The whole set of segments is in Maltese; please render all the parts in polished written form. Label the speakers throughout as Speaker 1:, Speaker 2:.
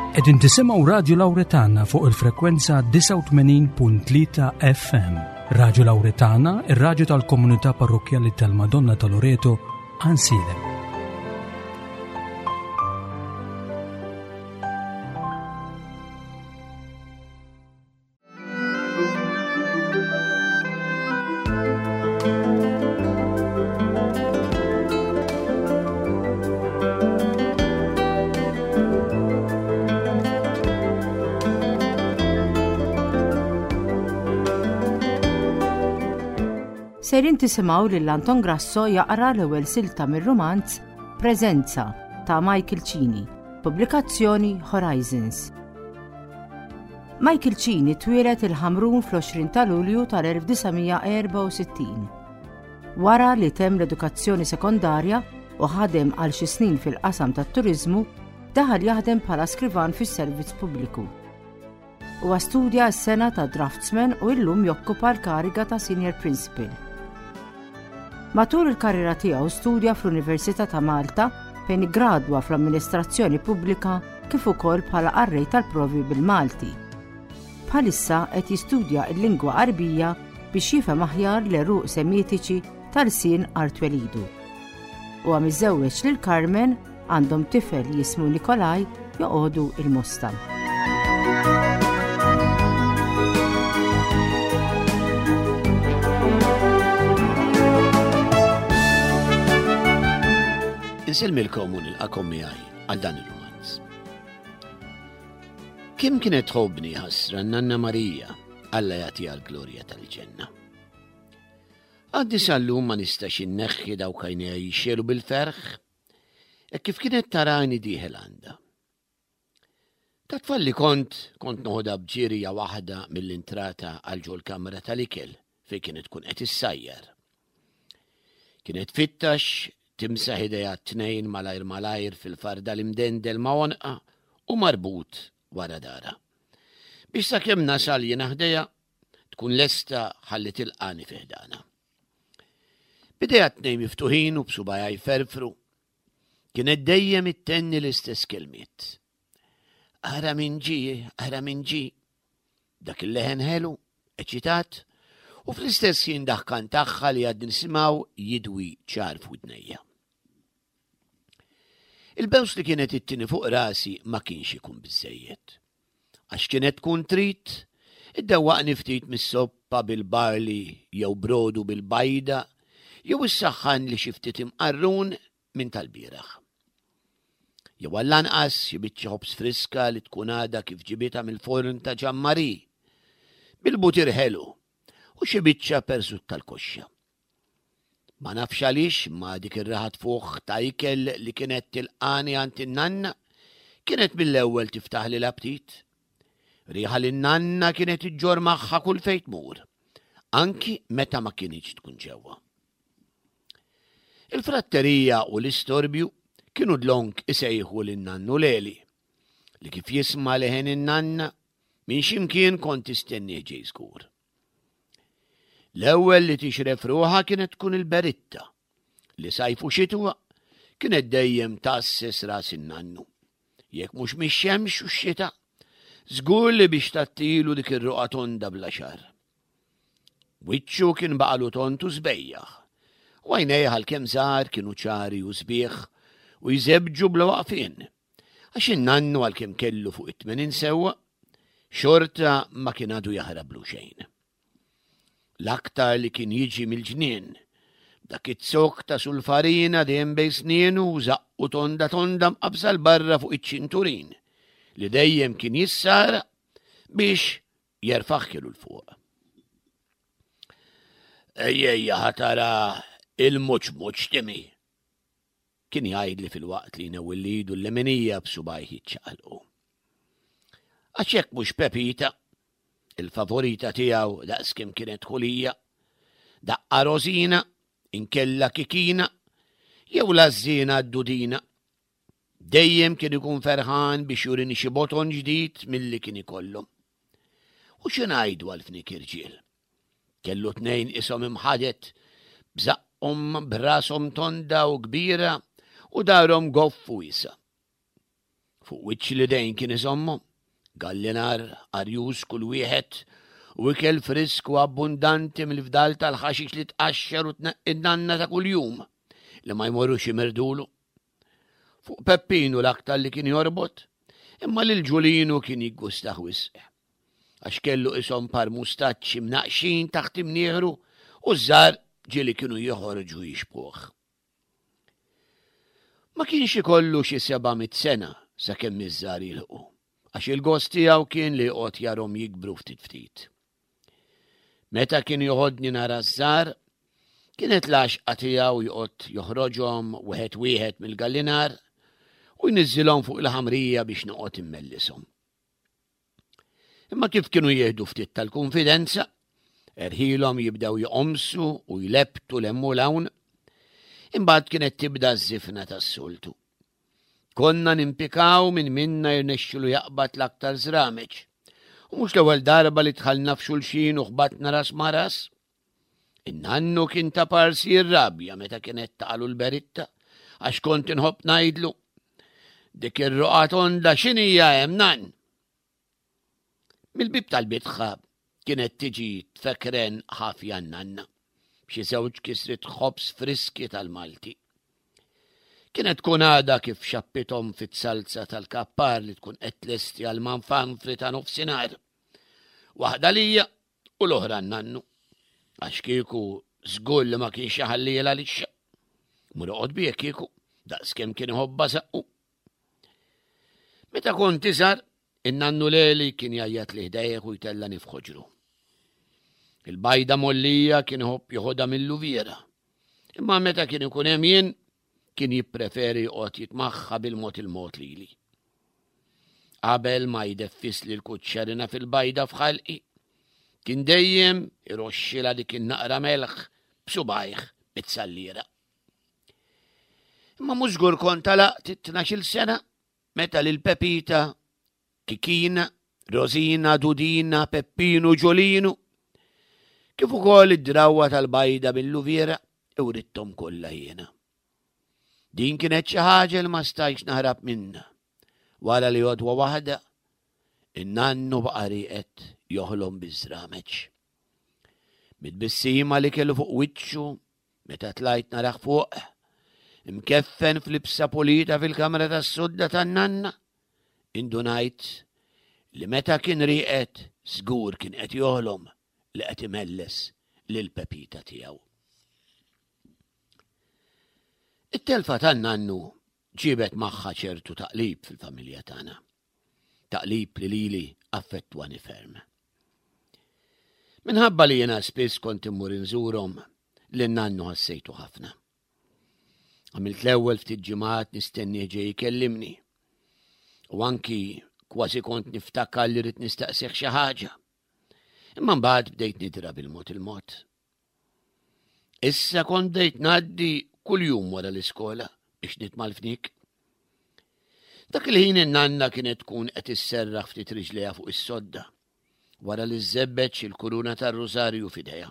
Speaker 1: Qegħdin tisimgħu Radju Lawretana fuq il-frekwenza 89.3 FM. Radju Lawretana, ir-radju tal-komunità parrokkjali tal-Madonna ta' Loreto, Ansilem.
Speaker 2: Sejrin tisimgħu lil Anton Grasso jaqra l-ewwel silta mir-rumanz Preżenza ta' Michael Cini, pubblikazzjoni Horizons. Michael Cini twieled il-Ħamrun fl-20 ta' Lulju tal-1964. Wara li temm l-edukazzjoni sekondarja u ħadem għal xi snin fil-qasam tat-turiżmu, daħal jaħdem bħala skrivan fis-servizz pubbliku. Huwa studja s-sena ta' draftsman u illum jokkupa l-kariga ta' senior principal. Matul il-karriera tiegħu studja fl-Università ta' Malta fejn iggradwa fl-Amministrazzjoni Pubblika kif ukoll bħala qarrej tal-provi bil-Malti. Bħalissa qed jistudja l-lingwa Għarbija biex jifhem aħjar l-għeruq Semitiċi ta' lsien art twelidu. Huwa miżżewweġ lil Carmen, għandhom tifel jismu Nikolaj joqogħdu il-Mosta.
Speaker 3: Insellmilkom u nilqakom miegħi għal dan ir-rumanz. Kim kienet tħobbni ħasra Nanna Marija, Alla jagħtiha l-glorja tal-ġenna. Għaddi sal-lum ma nistax inneħħi dawk għajnejha jixxelu bil-ferħ, hekk kif kienet tarani dieħel għandha. Ta' tfal li kont, kont noħodha b'ġirja waħda mill-intrata għal ġol-kamra tal-ikel fejn kienet tkun qed issajjar. Kienet fittax timsaħ idejha t-tnejn malajr malajr fil-farda l-imdendel ma' għonqa u marbut wara dara. Biex sakemm nasal jiena ħdejha tkun lesta ħalli tilqani fi ħdana. Bidejha tnejn miftuħin u b'subajha jferfru, kienet dejjem ittenni l-istess kelmiet. Ara min ġie, ara min ġie. Dak il-leħen ħelu, eċitat, u fl-istess jien daħkan tagħha li għad nisimgħu jidwi ċar f'widnejja. Il-bews li kienet ittini fuq rasi ma kienx ikun biżejjed. Għax kienet tkun trid iddewwaqni ftit mis-soppa bil-barli jew brodu bil-bajda jew issaħħan li xi ftit imqarrun minn tal-bieraħ. Jew għall-anqas xi biċċa ħobż friska li tkun għadha kif ġibitha mill-forn ta' Ġammari, bil-butir ħelu u xi biċċa persut tal-koxxa. Ma nafx għaliex imma dik ir-riħa tfuħ ta' ikel li kienet tilqani għand in-nanna kienet mill-ewwel tiftaħli l-aptit. Riħa li n-nanna kienet iġġorr magħha kull fejn tmur, anki meta ma kinitx tkun ġewwa. Il-fratterija u l-istorbju kienu dlonk isejħu lin-nannu Leli, li kif jisma' leħen in-nanna minn x'imkien kont tistennieh ġej żgur. L-ewwel li tixref ruħha kienet tkun il-beritta, li sajf u xitwa kienet dejjem tgħasses ras in-nannu. Jekk mhux mix-xemx u x-xita, żgur li biex tgħattilu dik ir-roqgħa tonda bla xagħar. Wiċċu kien baqalu tond u sbejjaħ, u għajnejh għalkemm żgħar kienu ċari u sbieħ u jżebbġu bla waqfien, għax in-nannu għalkemm kellu fuq it-80 sewwa, xorta ma kien għadu jaħrablu xejn. L-aktar li kien jiġi mill-ġnien, dak iz-zokk ta' sulfarina dejjem bejn snienu u żaqqu tonda tonda mqabbża 'l barra fuq iċ-ċinturin li dejjem kien jissara biex jerfagħ kielu 'l fuq. Ejja ħa tara il-muċ muċ timi, kien jgħidli filwaqt li jnewwilli idu l-leminija b'subgħajh jiċċaqalqu. Għax jekk mhux Pepita, il-favorita tiegħu daqskemm kienet ħulija, daqqa Rosina, inkella Kikina, jew l-għażżiena d-Dudina. Dejjem kien ikun ferħan biex jurini xi boton ġdid milli kien ikollhom. U xi ngħidu għal fnik irġiel? Kellu tnejn ishom imħadet, b'żaqqhom b'rashom tonda u kbira u darhom goff u wiesa'. Fuq wiċċ l-idejn kien iżommhom, gallinar arjuż kull wieħed u ikel frisk u abbundanti mill-fdal tal-ħaxix li tqaxxar u tneqqi n-nanna ta' kuljum li ma jmorrux imirdulu. Fuq Peppinu l-aktar li kien jorbot, imma lil Ġulinu kien jiggustah wisq. Għax kellu qishom par mustaċċi mnaqqxin taħt imnieħru u ż-żgħar ġieli kienu joħorġu jixbhuh. Ma kienx ikollu xi 700 sena sakemm iż-żgħar jilħqu, għax il-gost tiegħu kien li joqgħod jarhom jikbru ftit ftit. Meta kien joħodni nara ż-żgħar, kienet l-għaxqa tiegħu joqgħod joħroġhom wieħed wieħed mill-gallinar u jniżżilhom fuq il-ħamrija biex noqgħod immellishom. Imma kif kienu jieħdu ftit tal-kunfidenza, erħilhom jibdew joqomsu u jlebbtu 'l hemm u 'l hawn. Imbagħad kienet tibda ż-żifna tas-soltu. Konna nimpikaw min minna jirnexxilu jaqbad l-aktar żrameġ. U mhux l-ewwel darba li dħalna f'xulxin u ħbatna ras ma' ras. In-nannu kien ta' parsi jirrabja meta kienet taqalu l-beritta, għax kont inħobb ngħidlu. Dik ir-roqgħa tonda x'inhija hemm nan? Mill-bib tal-bitħa kienet tiġi tfekren ħafja n-nanna, b'xi żewġ kisriet ħobż friski tal-Malti. Kienet tkun għadha kif xappithom fit-salza tal-kappar li tkun qed tlesti għal manfanfri ta' nofsinhar. Waħda lija u l-oħra n-nannu. Għax kieku żgur li ma kienx iħallielha lixxa. Mur oqgħod bih kieku, daqskemm kien iħobbha saqqu. Meta kont iżgħar, in-nannu Leli kien jgħajjat li ħdejh u jtellani f'ħoġru. Il-bajda mollija kien iħobb joħodha mill-luviera. Imma meta kien ikun hemm jien, kien jippreferi joqgħod jitmaħħa bil-mod il-mod lili. Qabel ma jdeffisli l-kuċċerina fil-bajda f'ħalqi, kien dejjem iroxxilha dik in-naqra melħ b'subgħajh bit-salliera. Imma mhux żgur kont għalaqt it-tnax-il sena meta lil Pepita, Kikina, Rosina, Dudina, Peppinu, Ġolinu, kif ukoll id-drawwa tal-bajda bil-luviera iwritthom kollha jiena. Din kienet xi ħaġa li ma stajtx naħrab minnha. Wara li għodwa waħda, in-nannu baqa' rieqed joħlom biż-żrameġ. Mit-tbissima li kellu fuq wiċċu Meta tlajt narah fuq, imkeffen f'libsa pulita fil-kamra tas-sodda tan-nanna, indunajt li meta kien rieqed żgur kien qed joħlom li qed imelles lil Pepita tiegħu. It-telfa tan-nannu ġiebet magħha ċertu taqlib fil-familja tagħna. Taqlib li lili affettwani ferm. Minħabba li jiena spiss kont immur inżurhom, lin nannu ħassejtu ħafna. Għamilt l-ewwel ftit ġimgħat nistennieh ġej ikellimni. U anki kważi kont niftakar li rrid nistaqsih xi ħaġa. Imma mbagħad bdejt nidra bil-mod il-mod. Issa kont bdejt ngħaddi kuljum wara l-iskola biex nitma' l-fnik. Dak il-ħin in-nanna kienet tkun qed isserraħ ftit riġlejha fuq is-sodda wara li żżebbeġ il-kuruna tar-rużarju f'idejha.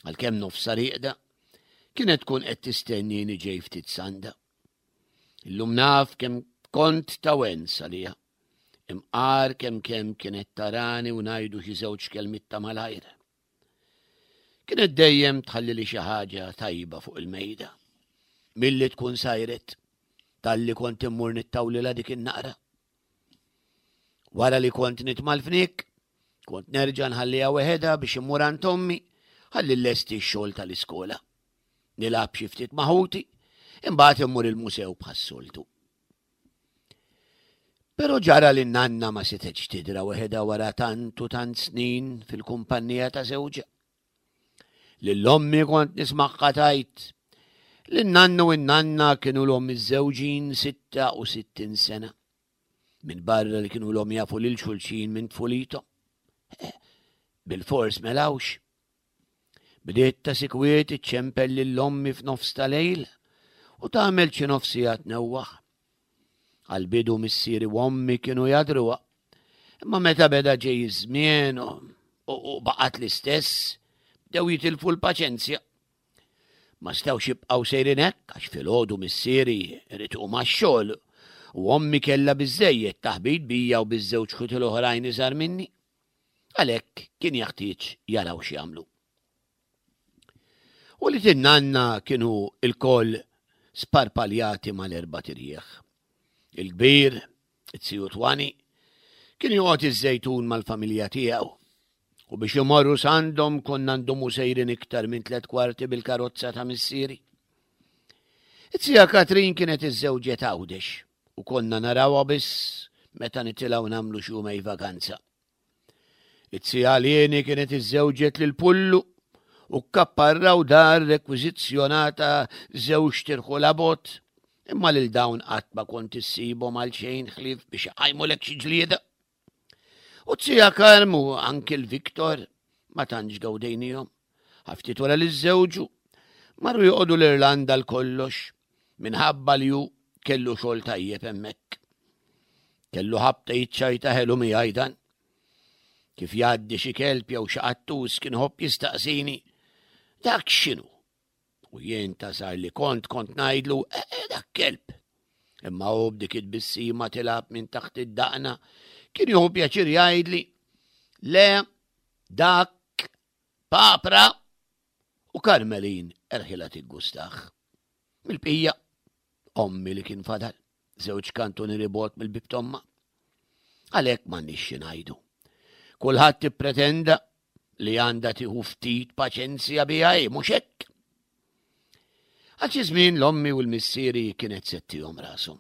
Speaker 3: Għalkemm nofsha rieqda, kienet tkun qed tistennini ġej ftit sanda. Illum naf kemm kont ta' wens għaliha. Imqar kemm kemm kienet tarani u ngħidu xi żewġ kelmiet ta' malajr. Kienet dejjem tħallili xi ħaġa tajba fuq il-mejda. Milli tkun sajret, talli kont immur nittawlilha dik in-naqra. Wara li kont nitma' l-fniek, kont nerġa' nħalliha weħedha biex immur għand ommi ħalli llesti x-xogħol tal-iskola. Nilgħab xi ftit ma' ħuti, imbagħad immur il-musew bħas-soltu. Però ġara li n-nanna ma setgħetx tidra weħedha wara tant u tant snin fil-kumpannija ta' żewġha. Lil ommi kont nismagħha tgħid li n-nannu u n-nanna kienu l-om miżżewġin 66 sena. Minn barra li kienu l-om jafu lil xulxin minn tfulithom. Eh, bil-fors melawx. Bdiet ta' sikwiet iċċempel lil ommi f'nofs ta' lejl u tagħmel xi nofs siegħa tnewwaħ. Għall-bidu missieri u ommi kienu jadruha. Imma meta beda ġej iż-żmien u baqgħet l-istess, bdew jitilfu l-paċenzja. Ma stgħux jibqgħu sejrin hekk għax filgħodu missieri irid iqum għax-xogħol. U ommi kellha biżżejjed taħbit bija u biż-żewġ ħuti l-oħrajn iżgħar minni. Għalhekk kien jaħtieġ jaraw x'jagħmlu. U li tinnanna kienu il-koll sparpaljati mal-erba tirjieħ. Il-kbir, it-siju Twani, kien joqgħod iż-żejtun mal-familja tiegħu. U biex imorru sandhom konna ndumu sejrin iktar minn tlet kwarti bil-karozza ta' missieri. It-sija Katrin kienet iżżewġet Għawdex u konna narawha biss meta nitilgħu nagħmlu xi jumej vaganza. It-sija Lieni kienet iżżewġet lil Pullu u kkapparraw dar rekwiżizzjonata żewġ tirħula bogħod, imma lil dawn qatt ma kont issibhom għal xejn ħlief biex iqajmulek xi ġlieda. U t-sija Karm u anki l-Viktor ma tantx gawdejnihom. Ftit wara li żżewġu, marru joqogħdu l-Irlanda l kollox minħabba li hu kellu xogħol tajjeb hemmhekk. Kellu ħabta jiċċajta ħelu miegħi dan. Kif jgħaddi xi kelb jew xi qattus kien ħobb jistaqsini, dak x'inhu? U jien ta' sar li kont kont ngħidlu, e, e, dak kelb. Imma hu b'dik it-tbissima tilgħab minn taħt id-daqna kien jieħu pjaċir jgħidli, le dak Papra u Karmelin erħilha tiggustaħ. Mill-bqija, ommi li kien fadal, żewġ kantunieri bogħod mill-bib t'ommha. Għalhekk m'għandniex xi ngħidu. Kulħadd ippretenda li għandha tieħu ftit paċenzja biha hi, mhux hekk? Għal xi żmien l-ommi u l-missieri kienet settihom rashom.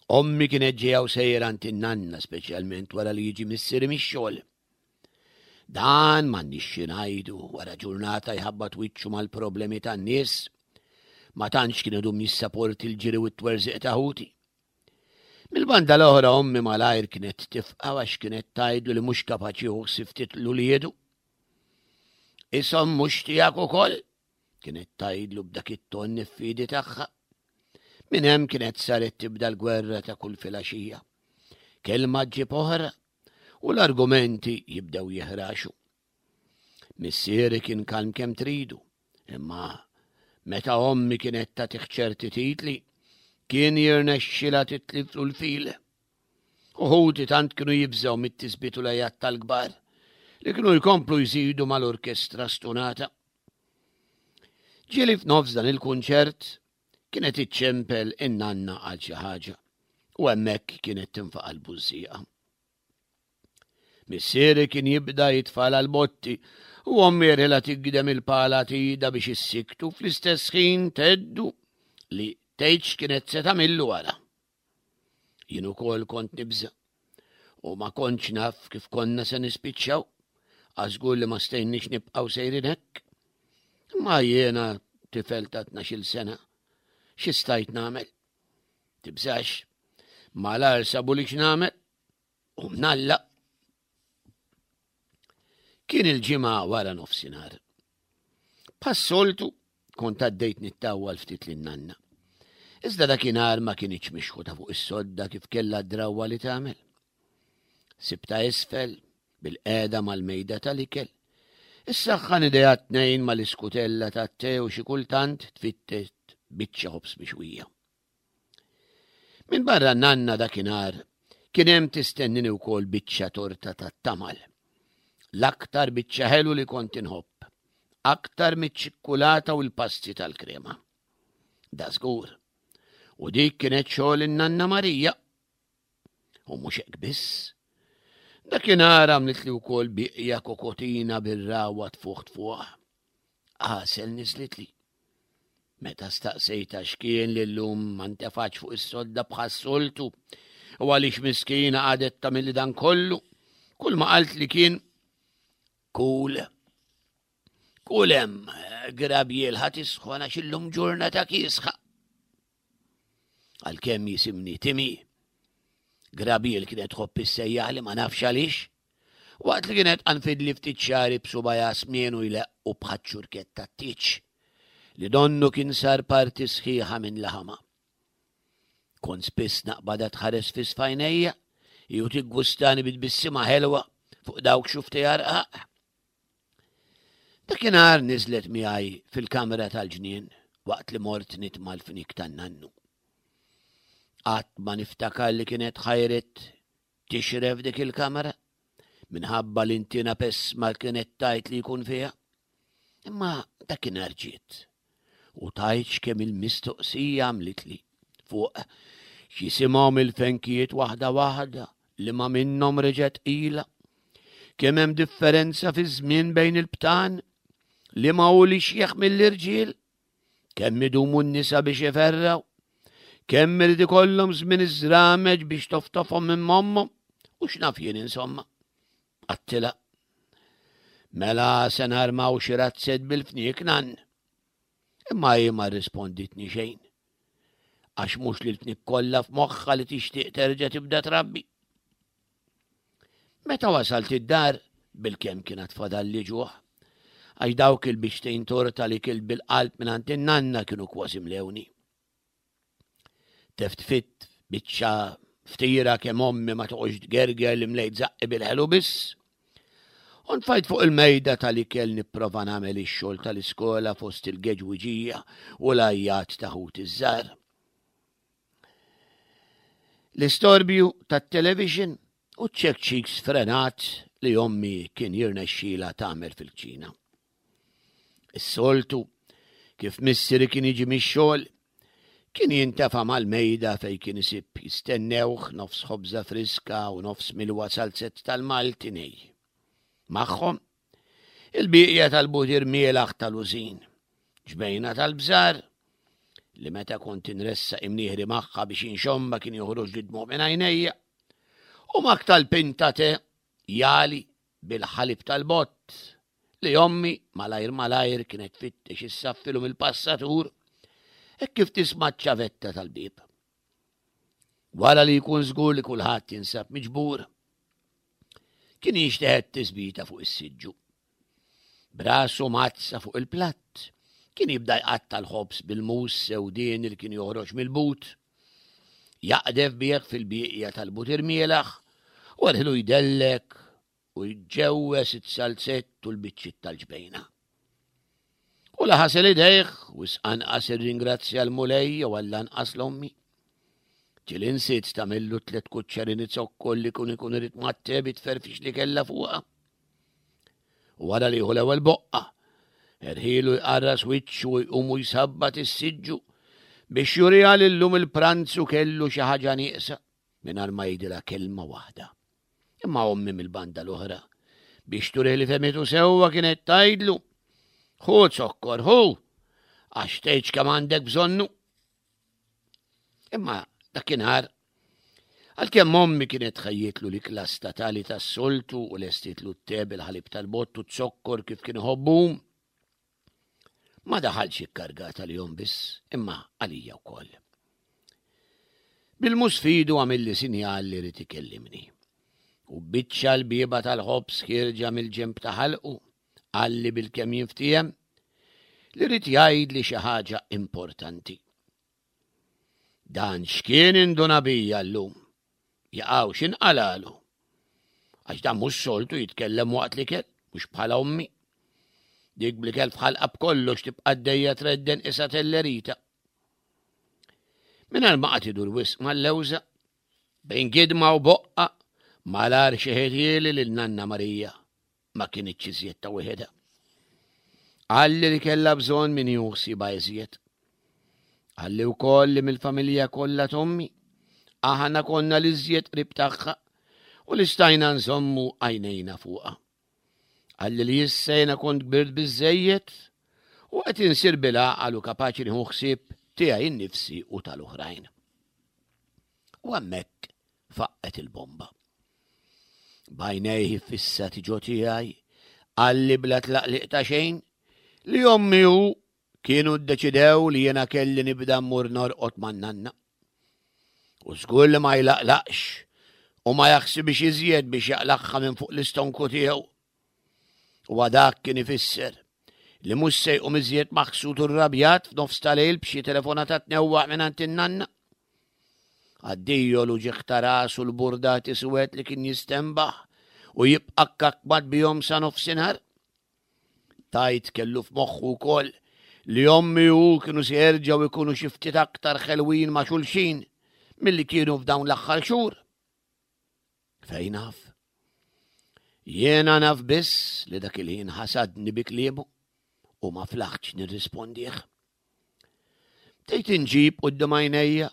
Speaker 3: Ommi kienet ġejja u sejra għand in-nanna speċjalment wara li jiġi missieri mix-xogħol. Dan m'għandniex xi ngħidu wara ġurnata jħabbat wiċċu mal-problemi tan-nies. Ma tantx kien idum jissaporti l-ġiri u t-twerżiq ta' ħuti. Mill-banda l-oħra ommi malajr kienet tifqa' għax kienet tgħidlu li mhux kapaċi jieħu ħsieb ftit l-uliedu. Ishom mhux tiegħek ukoll, kienet tgħidlu b'dak it-ton niffidi tagħha. Minn hemm kienet saret tibda l-gwerra ta' kull filgħaxija. Kelma ġġib oħra u l-argumenti jibdew jiħraxu. Missieri kien kalm kemm tridu, imma meta ommi kienet tagħtih ċerti titli, kien jirnexxilha titliflu l-fil. Uħudi tant kienu jibżgħu mit-tisbit u l-għajat tal-kbar li kienu jkomplu jżidu mal-orkestra stunata. Ġieli f'nofs dan il-kunċert kienet iċċempel in-nanna għal xi ħaġa u hemmhekk kienet tinfaqa' l-bużżieqa. Missieri kien jibda jitfala l-botti u ommi rila tigdem il-pala t'idha biex issiktu fl-istess ħin tgħeddu li tgħid x'kienet se tagħmillu wara. Jien ukoll kont nibża' u ma kontx naf kif konna se nispiċċaw, għażgur li ma stejniex nibqgħu sejrin hekk. Imma jiena tifel ta' 12-il sena, xi stajt nagħmel? Tibżax, malar sabu li x'nagħmel u mnalla. Kien il-ġimgħa wara nofsinhar. Bħas-soltu kont għaddejt nittawwal ftit lin-nanna. Iżda dakinhar ma kinitx mixħuta fuq is-sodda kif kellha d-drawwa li tagħmel. Sibta isfel, bil-qegħda mal-mejda tal-ikel. Issaħħan idejha tnejn mal-iskutella tat-te u xi kultant tfittet biċċa ħobż mixwija. Minbarra n-nanna dakinhar kien hemm tistennini wkoll biċċa torta tat-tamal. L-aktar biċċa ħelu li kont inħobb, aktar miċ-ċikkulata u l-pasti tal-krema. Da żgur. U dik kienet xogħol in-nanna Marija. U mhux hekk biss. Dakinhar għamlitli wkoll biqja kokotina bir-rawa tfuħ tfuħ. Għasel niżlitli. Meta staqsejtha x'kien li llum ma ntefatx fuq is-sodda bħas-soltu u għaliex miskina qagħdet tagħmilli dan kollu, kull ma qaltli kien kul. Kul hemm grabjiel ħa tisħon għax illum ġurnata kiesħa. Għalkemm jisimni Timi, Grabiel kienet tħobb issejjaħli ma nafx għaliex. Waqt li kienet qanfidli ftit xagħri b'subgħajha smien u jleqqu bħaċ-ċurkett tat-tieġ, li donnu kien sar parti sħiħa minn laħamha. Kont spiss naqbadha tħares fiss f'għajnejja, hi u tiggustani bi tbissima ħelwa fuq dawk xuftejha rqaq. Dakinhar niżlet miegħi fil-kamra tal-ġnien waqt li mort nitma' l-fniek tan-nannu. Qatt ma niftakar li kienet ħajret tixref dik il-kamra minħabba l-intina pesma kienet tajt li jkun fiha. Imma dakinhar ġiet u tgħidx kemm il-mistoqsija għamlitli fuq x'jisimhom il-fenkijiet waħda waħda li ma minnhom reġgħet qila. Kemm hemm differenza fiż-żmien bejn il-btan li ma hu li xjeħ mill-irġiel, kemm idumu n-nisa biex iferraw, kemm irid ikollhom żmien iż-żrameġ biex toftofhom minn mommhom u x'naf jien insomma. Għattila. Mela se narmaw xi razzett bil-fniek nan. Imma hi ma rrisponditni xejn. Għax mhux li l-fniek kollha f'moħħha li tixtieq terġa' tibda trabbi. Meta wasalt id-dar, bilkemm kien għad fadalli ġuħ. Għax dawk il-biċtejn torta li kilt bil-qalb mingħand in-nanna kienu kważi mlewni. Teftfit biċċa ftira kemm ommi ma toqgħodx tgerger li mlejt zaqqi bil-ħelu biss. U nfajt fuq il-mejda tal-ikel nipprova nagħmel ix-xogħol tal-iskola fost il-geġwiġija u l-għajjat ta' ħuti ż-żgħar. L-istorbju tat-television u ċ-ċekċik sfrenat li ommi kien jirnexxila tagħmel fil-kċina. Is-soltu, kif missieri kien jiġi mix-xogħol, kien jintefa' mal-mejda fejn kien isib jistennewh nofs ħobża friska u nofs milwa salzett tal-Malti nej. Magħhom, il-bieqja tal-butir mielaħ tal-użin, ġbejna tal-bżar, li meta kont inressaq imnieħri magħha biex inxommha kien joħroġ li dmuq minn għajnejja, u mak tal-pinta te jali bil-ħalib tal-bott li ommi malajr malajr kienet tfittex issaffilu mill-passatur hekk kif tisma' ċ-ċavetta tal-bieb. Wara li jkun żgur li kulħadd jinsab miġbur, kien jinxteħet tisbita fuq is-siġġu. Brasu mazza fuq il-platt, kien jibda jqatta' l-ħobż bil-mus sewdien li kien joħroġ mill-but, jaqdef bih fil-bieqja tal-butir mielaħ u għalħilu jdellek u jġewwes it-salzett u l-biċċiet tal-ġbejna. U la ħasel idejh wisq anqas irringrazzja l-Mulej jew għall-anqas l-ommi. Ġieli nsiet tagħmillu tliet kuċċerini zokkol li kun ikun irid mat-te bit-tferfix li kellha fuqha. U wara li jieħu l-ewwel boqqa, erħilu jqarras wiċċu u jqum u jsabbat is-siġġu biex juriha li llum il-pranzu kellu xi ħaġa nieqsa mingħajr ma jgħidilha kelma waħda. Imma ommi mill-banda l-oħra biex turih li fehmitu sewwa kienet tgħidlu, Ħu zokkor, ħu, għax tgħidx kemm għandek bżonnu. Imma dakinhar, għalkemm ommi kienet ħejjietlu l-ikla statali tas-soltu u lestietlu t-te bil-ħalib tal-bott u z-zokkor kif kien iħobbu, ma daħalx ikkargat għalihom biss, imma għalija wkoll. Bil-mus fidu għamilli sinjal li rid ikellimni. U biċċa l-bieba tal-ħobż ħierġa mill-ġenb ta' ħalqu, qalli bilkemm jinftiehem li ried jgħidli xi ħaġa importanti. Dan x'kien induna bija llum? Jaqaw x'inqalalu? Għax dan mhux soltu jitkellem waqt l-ikel, mhux bħala ommi. Dik bl-ikel f'ħalqa b'kollox tibqa' għaddejja tredden isa tellerita. Mingħajr ma qagħad idur wisq mal-lewża, bejn gidma u boqqa, malar xeħetieli lil Nanna Marija ma kinitx iżjed ta' wieħedha. Qalli li kellha bżonn min jieħu ħsiebha iżjed. Qalli wkoll li mill-familja kollha t'ommi, aħna konna l-iżjed qrib tagħha u li stajna nżommu għajnejna fuqha. Qalli li issa jiena kont kbirt biżżejjed u qed insir bil-għaqal u kapaċi nieħu ħsieb tiegħi nnifsi u tal-oħrajn. U hemmhekk faqqgħet il-bomba. B'għajnejh iffissati ġo tiegħi, qalli bla tlaqliq ta' xejn li ommi u kienu ddeċidew li jiena kelli nibda mmur norqod man-nanna. U żgur li ma jlaqlaqx u ma jaħsibx iżjed biex jaqlagħha minn fuq l-istonku tiegħu. Huwa dak kien ifisser li mhux se jqum iżjed maħsud u rrabjat f'nofs ta' lejl b'xi telefonata tnewwaħ mingħand in-nanna. Addio l-uġigħ ta' ras u l-burdati suwed li kien jistenbaħ u jibqa' kkakmat bihom sa nofsinhar. Tgħid kellu f'moħħu wkoll li ommi u hu kienu se jerġgħu jkunu xi ftit aktar ħelwin ma' xulxin. milli kienu f'dawn l-aħħar xhur. Fejn naf? Jiena naf biss li dak il-ħin ħasadni bi kliemu u ma flaħtx nirrispondih. Bdejt inġib quddiem għajnejja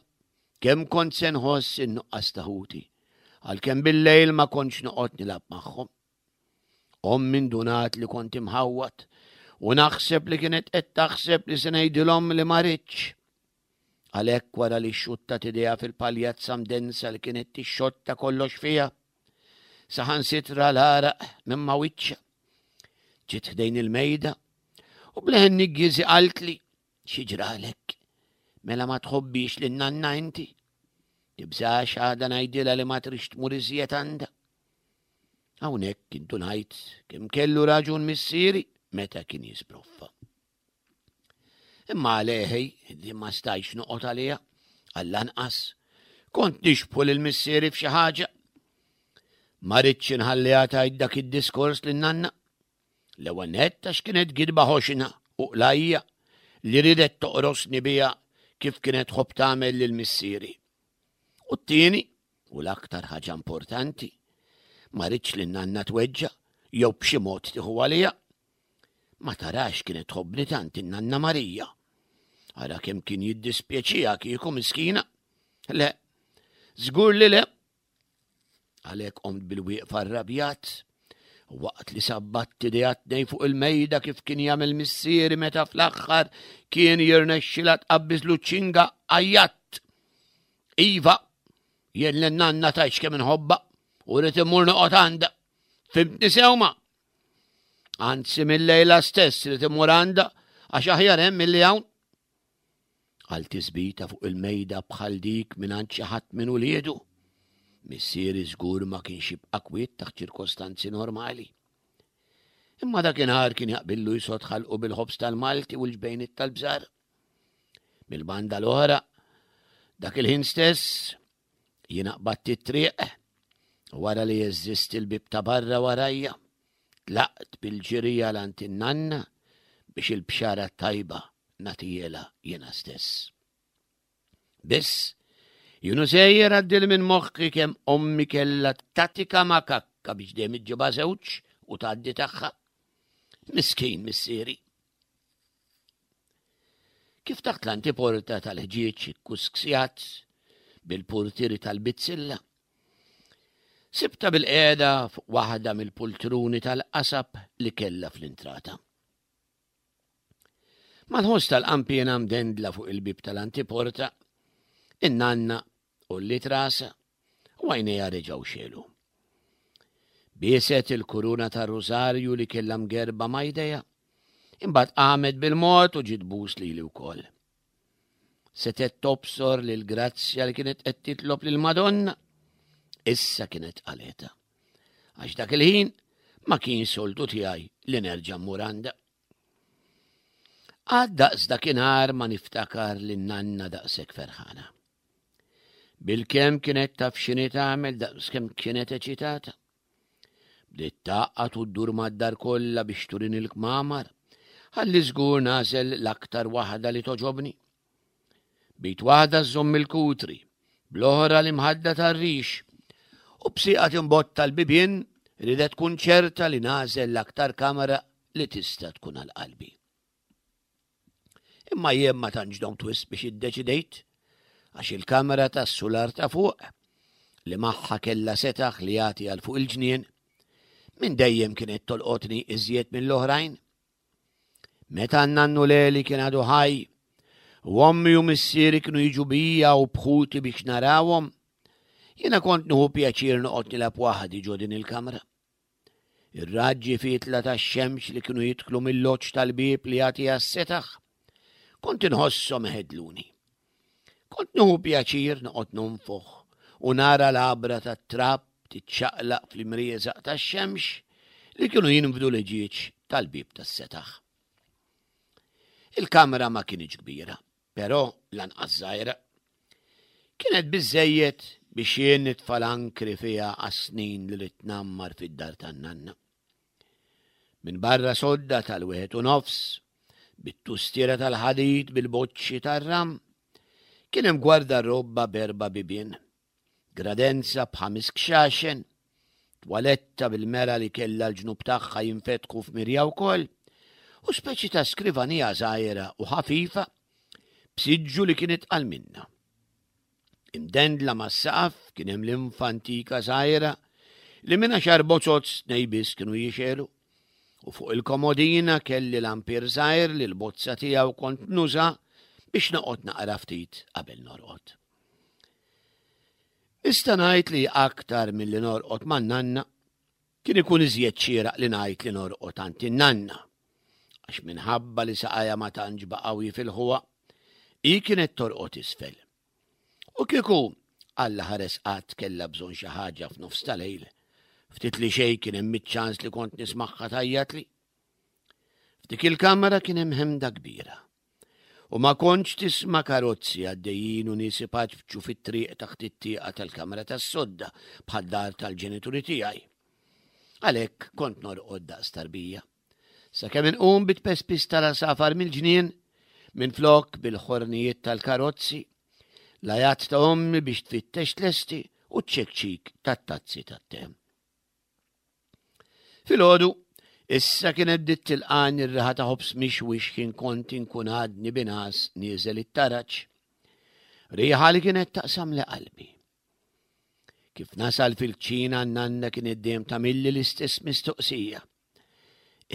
Speaker 3: kemm kont se nħoss in-nuqqas ta' ħuti, għalkemm bil-lejl ma kontx noqgħod nilgħab magħhom. Ommi ndunat li kont imħawwad u naħseb li kienet qed taħseb li se ngħidilhom li ma ridtx. Għalhekk wara li xxuttat idejha fil-paljazza mdensa li kienet tixxotta kollox fiha, saħansitra l-għaraq minn ma' wiċċha. Ġiet ħdejn il-mejda u bleħen niggieżi qaltli xi ġralek. Mela ma tħobbix lin nanna inti? Tibżax għada ngħidilha li ma trix tmur iżjed għandha. Hawnhekk indunajt kemm kellu raġun missieri meta kien jisbroffa. Imma għaleħi li ma stajtx noqgħod għaliha, għall-anqas, kont nixbħu lil missieri f'xi ħaġa. Ma ridtx inħalliha tgħid dak id-diskors lin nanna. L-ewwel nett għax kienet gidba ħoxna u qlajja li ridet toqrosni biha kif kienet tħobb tagħmel lil missieri. U t-tieni, u l-aktar ħaġa importanti, ma ridx li nanna tweġġa' jew b'xi mod tieħu għaliha. Ma tarax kienet tħobbni tant in-nanna Marija. Ara kemm kien jiddispjaċiha kieku miskina. Le, żgur li le. Għalhekk qomt bil-wieqfa rrabjat waqt li sabbatt idejha tnej fuq il-mejda kif kien jagħmel missieri meta fl-aħħar kien jirnexxilha tqabbiżlu ċinga għajjatt. Iva, jien lin-nanna tgħidx kemm inħobbha u rrid immur noqgħod għandha. Fimtni sewma? Anzi mill-lejla stess li timmur għandha għax aħjar hemm milli hawn. Għal tisbita fuq il-mejda bħal dik mingħand xi ħadd minn uliedu. Missieri żgur ma kienx jibqa' kwiet taħt ċirkostanzi normali. Imma dakinhar kien jaqbillu jsod ħalqu bil-ħobż tal-Malti u l-ġbejniet tal-bżar. Mill-banda l-oħra, dak il-ħin stess, Jiena qbadt it-triq u wara li jeżżist il-bieb ta' barra warajja, tlaqt bil-ġirija 'l għand in-nanna biex il-bxara t-tajba nagħtihielha jiena stess. Biss, jien u sejjer għaddieli minn moħħi kemm ommi kellha tatika makakka biex dejjem iġġibha żewġ u tgħaddi tagħha. Miskin missieri. Kif taħt l-antiporta tal-ħġieġ ikkusksjat bil-purtieri tal-bizzilla, sibtha bilqiegħda fuq waħda mill-pultruni tal-qasab li kellha fl-intrata. Mal-ħoss tal-qanpiena mdendla fuq il-bieb tal-antiporta, in-nanna għolliet rasha u għajnejha reġgħu xegħlu. Bieset il-kuruna tar-rużarju li kellha mgerba ma' jdejha, imbagħad qamet bil-mod u ġiet tbus lili wkoll. Setgħet tobsor li l-grazzja li kienet qed titlob lill-Madonna issa kienet qaleta. Għax dak il-ħin ma kien soltu tiegħi li nerġa' mmur għandha. Għad daqs dakinhar ma niftakar li nanna daqshekk ferħana. Bilkemm kienet taf x'inhi tagħmel daqskemm kienet eċitata. Bdiet tgħaqqad u ddur mad-dar kollha biex turini l-kmamar, ħalli żgur nagħżel l-aktar waħda li togħġobni. Bit waħda żżomm il-kutri, bl-oħra l-imħadda tar-rix, u b'sieqa timbotta l-bibien ridet tkun ċerta li nagħżel l-aktar kamra li tista' tkun għal qalbi. Imma jien ma tantx domt wisq biex iddeċidejt, għax il-kamra tas-sular ta' fuq, li magħha kellha setaħ li jagħti għal fuq il-ġnien, minn dejjem kienet tolqotni iżjed mill-oħrajn. Meta n-nannu Leli kien għadu ħaj, u ommi u missieri kienu jiġu bija u bħuti biex narawhom, jiena kont nieħu pjaċir noqgħod nilgħab waħdi ġo din il-kamra. Ir-raġġi fietla tax-xemx li kienu jidħlu mill-loċ tal-bieb li jagħti għas-setaħ, kont inħosshom iħedluni. Kont nieħu pjaċir noqgħod nonfoħ u nara l-għabra tat-trab tiċċaqlaq fl-imrieżaq tax-xemx li kienu jinfdu l-ħġieġ tal-bieb tas-setaħ. Il-kamra ma kinitx kbira, Però lanqas żgħira. Kienet biżżejjed biex jien nitfa' l-ankri fiha għas-snin li ridt ngħammar fid-dar tan-nanna. Minbarra sodda tal-wieħed u nofs, bit-tustiera tal-ħadid bil-boċċi tar-ram, Kien hemm gwardarobba b'erba' bibien, gradenza b'ħames kxaxen, twaletta bil-mera li kellha l-ġnub tagħha jinfetħu f'mirja wkoll, u speċi ta' skrivanija żgħira u ħafifa b'siġġu li kien itqal minnha. Imdendla mas-saqaf kien hemm linfa antika żgħira li minn għaxar bozoz tnej biss kienu jixegħlu. U fuq il-komodina kelli lampier żgħir li l-bozza tiegħu kont nuża biex noqgħod naqra ftit qabel norqod. Nista' ngħid li aktar milli norqod man-nanna, kien ikun iżjed xieraq li ngħid li norqod għand in-nanna. Għax minħabba li saqajha ma tantx baqgħu jifilħuha, hi kienet torqod isfel. U kieku Alla ħares qatt kellha bżonn xi ħaġa f'nofs ta' lejl, ftit li xejn kien hemm iċ-ċans li kont nismagħha tgħajjatli. F'dik il-kamra kien hemm ħemda kbira. U ma kontx tisma' karozzi għaddejjin u nies ipaċpċu fit-triq taħt it-tieqa tal-kamra tas-sodda bħad-dar tal-ġenituri tiegħi. Għalhekk kont norqod daqs tarbija. Sakemm inqum bit-pespis tal-għasafar mill-ġnien, minflok bil-ħornijiet tal-karozzi, l-għajat ta' ommi biex tfittex tlesti u ċ-ċekċik tat-tazzi tat-te. Filgħodu, issa kienet bdiet tilqani r-riħa ta' ħobż mixwi x'ħin kont inkun għadni bingħas nieżel it-taraġ. Riħa li kienet taqsamli qalbi. Kif nasal fil-kċina n-nanna kienet dejjem tagħmilli l-istess mistoqsija.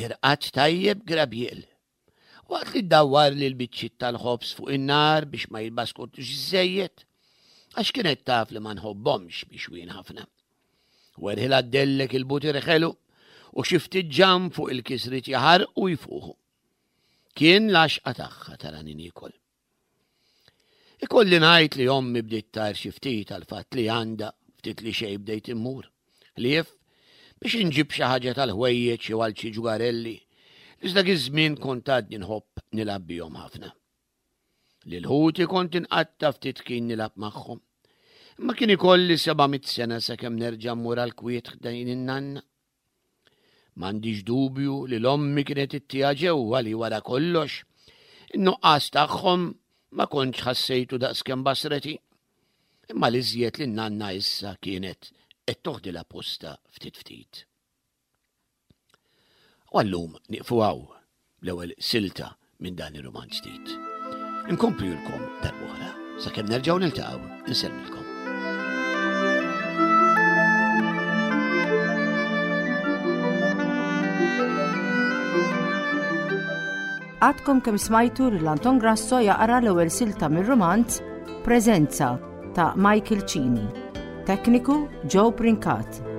Speaker 3: Irqadt tajjeb Grabiel? Waqt li ddawwarli l-biċċiet tal-ħobż fuq in-nar biex ma jitbaskotux iżżejjed, għax kienet taf li ma nħobbhomx mixwin ħafna. Werħilha ddellek il-butir ħelu u xi ftit ġamm fuq il-kisriet jaħarqu jfuħu. Kien l-għaxqa tagħha tarani niekol. Ikolli ngħid li ommi bdiet tgħir xi ftit għall-fatt li għandha ftit li xejn bdejt immur. Ħlief biex inġib xi ħaġa tal-ħwejjeġ jew għal xi ġugarelli li dak iż-żmien kont għadni nħobb nilgħab bihom ħafna. Lil ħuti kont inqatta' ftit kien nilgħab magħhom. Imma kien ikolli 700 sena sakemm nerġa' mmur għall-kwiet ħdejn in-nanna. M'għandix dubju li l-ommi kienet ittiha ġewwa li wara kollox, in-nuqqas tagħhom ma kontx ħassejtu daqskemm basreti. Imma l-iżjed li n-nanna issa kienet qed toħdilha postha ftit ftit. U għallum nieqfu hawn l-ewwel silta minn dan ir-rumanz ġdid. Inkomplilkom darb'oħra sakemm nerġgħu niltaqgħu insellmilkom.
Speaker 2: Għadkom kemm smajtu lil Anton Grasso jaqra l-ewwel silta mir-rumanz Preżenza ta' Michael Cini. Tekniku Joe Brincat.